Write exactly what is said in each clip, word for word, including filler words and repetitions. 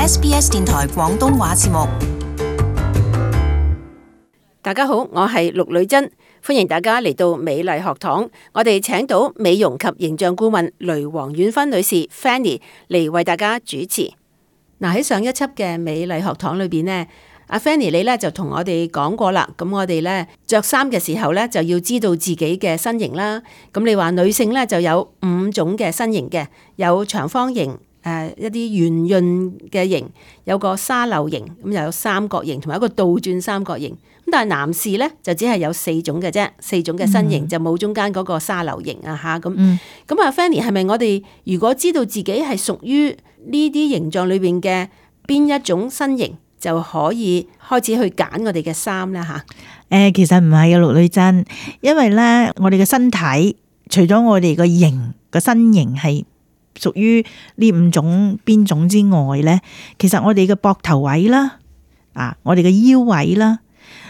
S B S 電台廣東話節目。大家好，我係陸女珍，歡迎大家嚟到美麗學堂。我哋請到美容及形象顧問雷黃婉芬女士 Fanny 嚟為大家主持。嗱，喺上一輯嘅美麗學堂裏邊呢，阿 Fanny 你咧就同我哋講過啦。咁我哋咧着衫嘅時候咧就要知道自己嘅身形啦。咁你話女性咧就有五種嘅身形嘅，有長方形。誒、呃、一啲圓潤嘅形，有個沙漏形，咁又有三角形，同埋一個倒轉三角形。咁但係男士咧就只係有四種嘅啫，四種嘅身形、嗯、就冇中間嗰個沙漏形啊嚇咁。咁啊 Fanny 係咪我哋如果知道自己係屬於呢啲形狀裏邊嘅邊一種身形，就可以開始去揀我哋嘅衫咧嚇？誒、呃、其實唔係啊，陸女珍，因為咧我哋嘅身體除咗我哋個形個身形係屬於呢五種邊種之外咧，其實我哋嘅膊頭位啦，啊，我哋嘅腰位啦，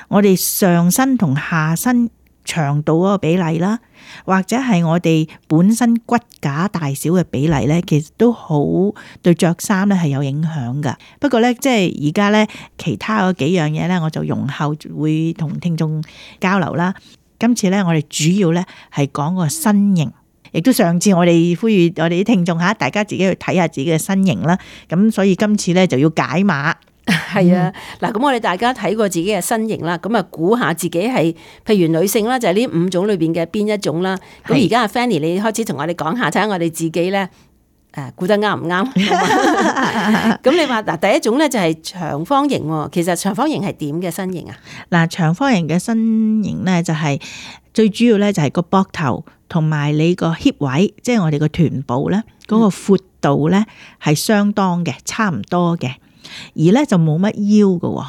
我哋上身同下身長度嗰個比例啦，或者係我哋本身骨架大小嘅比例咧，其實都好對着衫咧係有影響噶。不過咧，即係而家咧其他嗰幾樣嘢咧，我就容後會同聽眾交流啦。今次咧，我哋主要咧係講個身形。亦都上次我哋呼籲我哋啲聽眾吓，大家自己去睇下自己嘅身形啦。咁所以今次咧就要解碼。係啊，嗱，咁我哋大家睇過自己嘅身形啦，咁啊估下自己係，譬如女性啦，就係呢五種裏邊嘅邊一種啦。咁而家阿 Fanny，你開始同我哋講下，睇下我哋自己咧，誒估得啱唔啱？咁你話嗱，第一種咧就係長方形喎。其實長方形係點嘅身形啊？嗱，長方形嘅身形咧就係最主要咧就係個膊頭。同埋你個 hip 位，即係我哋個臀部咧，嗰個闊度咧係相當嘅，差唔多嘅，而咧就冇乜腰嘅。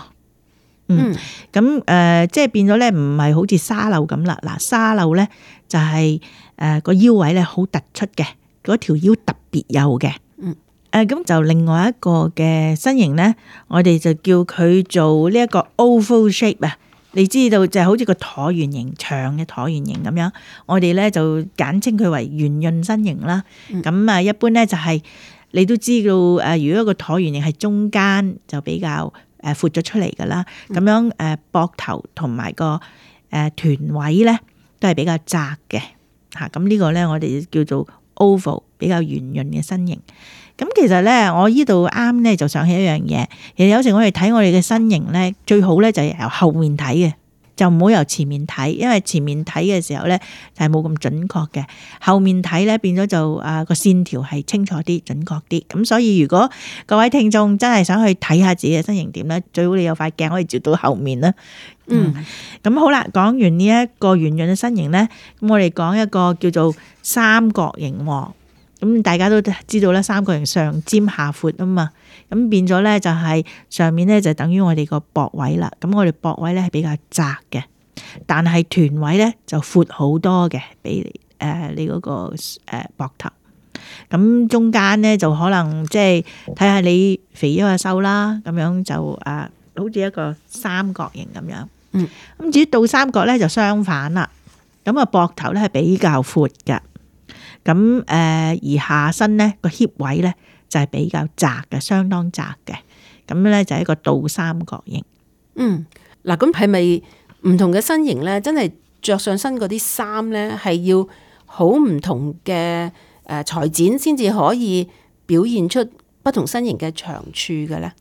嗯，咁誒、呃，即係變咗咧，唔係好似沙漏咁啦。嗱，沙漏咧就係誒個腰位咧好突出嘅，嗰條腰特別幼嘅。嗯，誒、呃，咁就另外一個嘅身形咧，我哋就叫佢做呢一個 oval shape 啊。你知道就係好似個橢圓形，長嘅橢圓形咁樣，我哋咧就簡稱佢為圓潤身形啦。咁啊、嗯，一般咧就係你都知道誒，如果個橢圓形係中間就比較誒闊咗出嚟噶啦。咁樣誒膊頭同埋個誒臀位咧都係比較窄嘅嚇。咁呢個咧我哋叫做 oval， 比較圓潤嘅身形。咁其實咧，我呢度啱咧就想起一樣嘢，其實有時我哋睇我哋嘅身形咧，最好咧就係由後面睇嘅，就唔好由前面睇，因為前面睇嘅時候咧就係冇咁準確嘅，後面睇咧變咗就啊個線條係清楚啲、準確啲。咁所以如果各位聽眾真係想去睇下自己嘅身形點咧，最好你有塊鏡可以照到後面啦。嗯，咁、嗯、好啦，講完呢一個圓潤嘅身形咧，咁我哋講一個叫做三角形喎。咁大家都知道啦，三角形上尖下闊啊嘛，咁變咗咧就係上面咧就等於我哋個膊位啦。咁我哋膊位咧係比較窄嘅，但係臀位咧就闊好多嘅，比誒你嗰個誒膊頭。咁中間咧就可能即係睇下你肥咗啊瘦啦，咁樣就誒好似一個三角形咁樣。嗯，咁至於倒三角咧就相反啦。咁啊膊頭咧係比較闊㗎。咁誒，而下身咧個 hip 位咧就係比較窄嘅，相當窄嘅。咁咧就係一個倒三角形。嗯，嗱，咁係咪唔同嘅身形咧，真係着上身嗰啲衫咧，係要好唔同嘅誒裁剪先至可以表現出不同身形嘅長處嘅咧？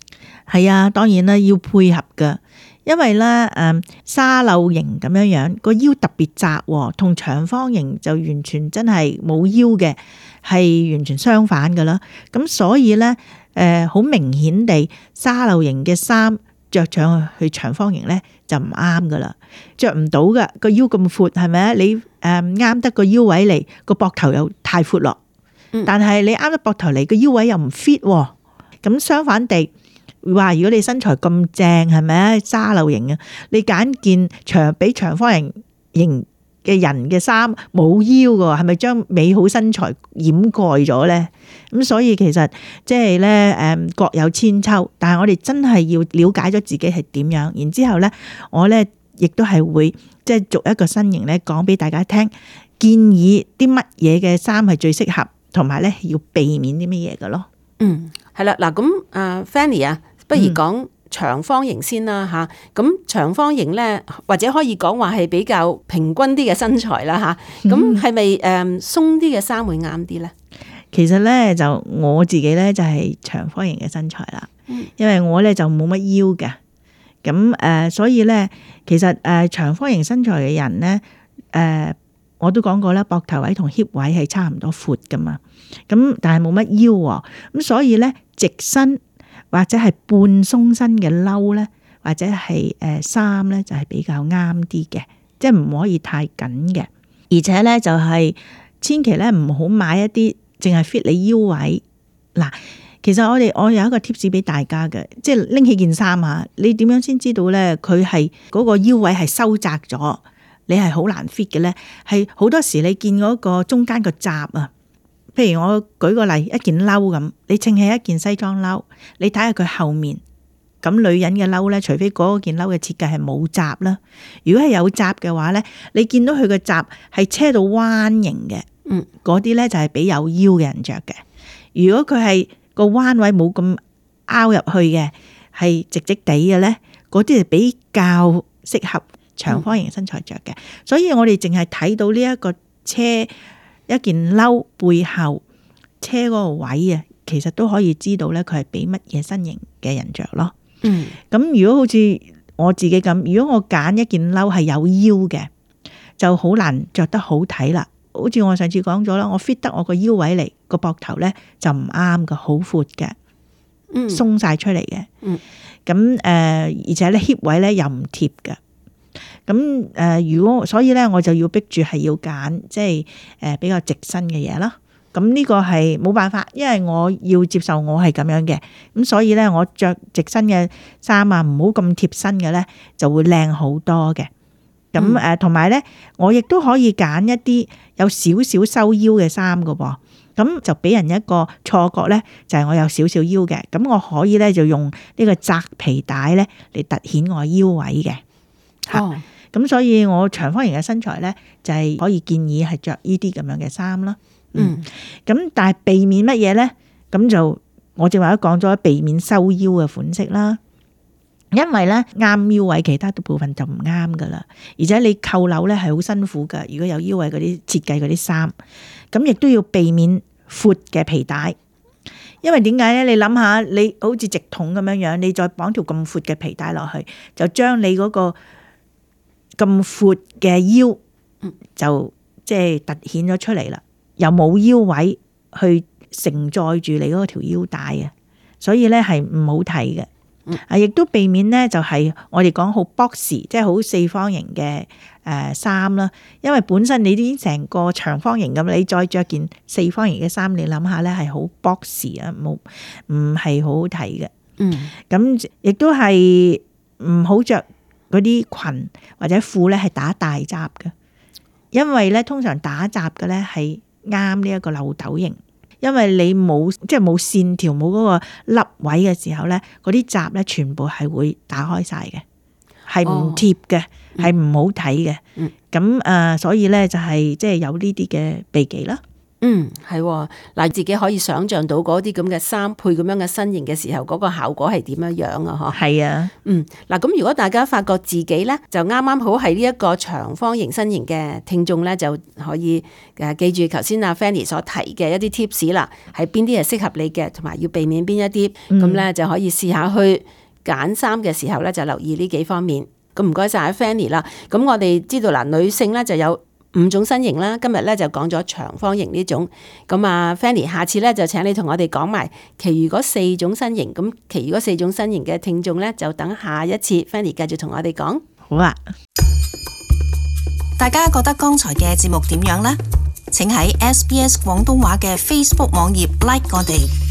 係啊，當然啦，要配合噶。因為咧，誒沙漏型咁樣樣，個腰特別窄，同長方形就完全真係冇腰嘅，係完全相反噶啦。咁所以咧，誒好明顯地，沙漏型嘅衫着上去長方形咧就唔啱噶啦，着唔到噶。個腰咁闊，係咪啊？你誒啱得個腰位嚟，個膊頭又太闊落，但係你啱得膊頭嚟，個腰位又唔 fit。咁相反地。話如果你身材咁正，係咪啊？沙漏型啊，你揀件長比長方形型嘅人嘅衫冇腰嘅，係咪將美好身材掩蓋咗咧？咁所以其實即係咧，誒各有千秋。但係我哋真係要了解咗自己係點樣，然之後咧，我咧亦都係會即係逐一個身形咧講俾大家聽，建議啲乜嘢嘅衫係最適合，同埋咧要避免啲乜嘢嘅咯。嗯，係啦，嗱咁啊 Fanny 啊，不如講長方形先啦吓。咁、嗯、長方形咧，或者可以講話係比較平均啲嘅身材啦吓。咁係咪誒鬆啲嘅衫會啱啲咧？其實咧就我自己咧就係長方形嘅身材啦，嗯、因為我咧就冇乜腰嘅。咁誒、呃，所以咧，其實誒、呃、長方形身材嘅人咧，誒、呃、我都講過啦，膊頭位同 hip 位係差唔多闊噶嘛。咁但係冇乜腰喎，咁所以咧直身或者係半鬆身嘅褸咧，或者係誒衫咧，就係比較啱啲嘅，即係唔可以太緊嘅。而且咧就係、是、千祈咧唔好買一啲淨係 fit 你腰位嗱。其實我哋我有一個 tips 俾大家嘅，即係拎起件衫啊，你點樣先知道咧佢係嗰個腰位係收窄咗，你係好難 fit 嘅咧？係好多時你見嗰個中間個閘啊，譬如我舉個例，一件褸咁，你稱起一件西裝褸，你睇下佢後面，咁女人嘅褸咧，除非嗰件褸嘅設計係冇閘啦，如果係有閘嘅話咧，你見到佢個閘係車到彎形嘅，嗯，嗰啲咧就係俾有腰嘅人着嘅。如果佢係個彎位冇咁凹入去嘅，係直直地嘅咧，嗰啲係比較適合長方形身材着嘅。嗯、所以我哋淨係睇到呢一個車一件褸背後車嗰個位啊，其實都可以知道咧佢係俾乜嘢身形嘅人着咯。嗯，咁如果好似我自己咁，如果我揀一件褸係有腰嘅，就好難着得好睇啦。好似我上次講咗啦，我 fit 得我個腰位嚟，個膊頭咧就唔啱噶，好闊嘅，嗯，鬆晒出嚟嘅，嗯，咁誒、呃，而且咧 hip 位咧又唔貼嘅，咁誒、呃，如果所以咧，我就要逼住係要揀即係誒比較直身嘅嘢啦。咁呢個係冇辦法，因為我要接受我係咁樣嘅，咁所以咧我着直身嘅衫啊，唔好咁貼身嘅咧，就會靚好多嘅。咁誒，同埋咧，我亦都可以揀一啲有少少收腰嘅衫噶噃，咁就俾人一個錯覺咧，就係我有少少腰嘅，咁我可以咧就用呢個窄皮帶咧嚟突顯我腰位嘅。哦，咁所以我長方形嘅身材咧，就係可以建議係着呢啲咁樣嘅衫啦。嗯，咁但係避免乜嘢咧？咁就我正話都講咗，避免收腰嘅款式啦。因為咧啱腰位，其他嘅部分就唔啱噶啦。而且你扣鈕咧係好辛苦噶。如果有腰位嗰啲設計嗰啲衫，咁亦都要避免闊嘅皮帶。因為點解咧？你諗下，你好似直筒咁樣樣，你再綁條咁闊嘅皮帶落去，就將你嗰個咁闊嘅腰就即係凸顯咗出嚟啦。又冇腰位去承載住你嗰條腰帶啊，所以咧係唔好睇嘅。啊！亦都避免咧，就係我哋講好 box，即係好四方形嘅誒衫啦。因為本身你已經成個長方形咁，你再着件四方形嘅衫，你諗下咧係好 box 啊，冇唔係好好睇嘅。嗯，咁亦都係唔好着嗰啲裙或者褲咧，係打大閘嘅，因為咧通常打閘嘅咧係啱呢一個漏斗型。因為你冇即係冇線條冇嗰個凹位嘅時候咧，嗰啲閘咧全部係會打開晒嘅，係唔貼嘅，係唔、哦、好睇嘅。咁誒、嗯呃，所以咧就係即係有呢啲嘅避忌啦。嗯，係嗱，自己可以想象到嗰啲咁嘅衫配咁樣嘅身形嘅時候，嗰個效果係點樣樣啊？嗬，係啊，嗯，嗱，咁如果大家發覺自己咧就啱啱好係呢一個長方形身形嘅聽眾咧，就可以誒記住頭先阿 Fanny 所提嘅一啲 tips 啦，係邊啲係適合你嘅，同埋要避免邊一啲，咁咧、嗯、就可以試下去揀衫嘅時候咧就留意呢幾方面。咁唔該晒阿 Fanny 啦。咁我哋知道嗱，女性咧就有五種身形啦，今日咧就講咗長方形呢種，咁啊 Fanny 下次咧就請你同我哋講埋其餘嗰四種身形，咁其餘嗰四種身形嘅聽眾咧就等下一次 Fanny 繼續同我哋講。好啊，大家覺得剛才嘅節目點樣呢？請喺 S B S 廣東話嘅 Facebook 網頁 like 我哋。